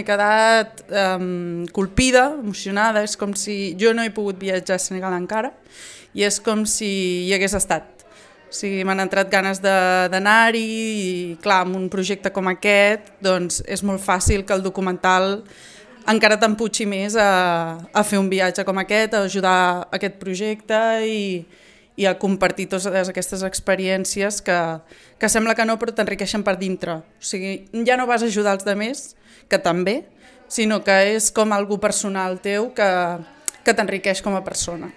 m'he quedat colpida, emocionada, és com si jo no he pogut viatjar a Senegal encara i és com si hi hagués estat. O sigui, m'han entrat ganes d'anar-hi i, clar, amb un projecte com aquest, doncs és molt fàcil que el documental encara t'empuixi més a fer un viatge com aquest, a ajudar aquest projecte i a compartir totes aquestes experiències que sembla que no, però t'enriqueixen per dintre. O sigui, ja no vas ajudar els altres, que també, sinó que és com algú personal teu que t'enriqueix com a persona.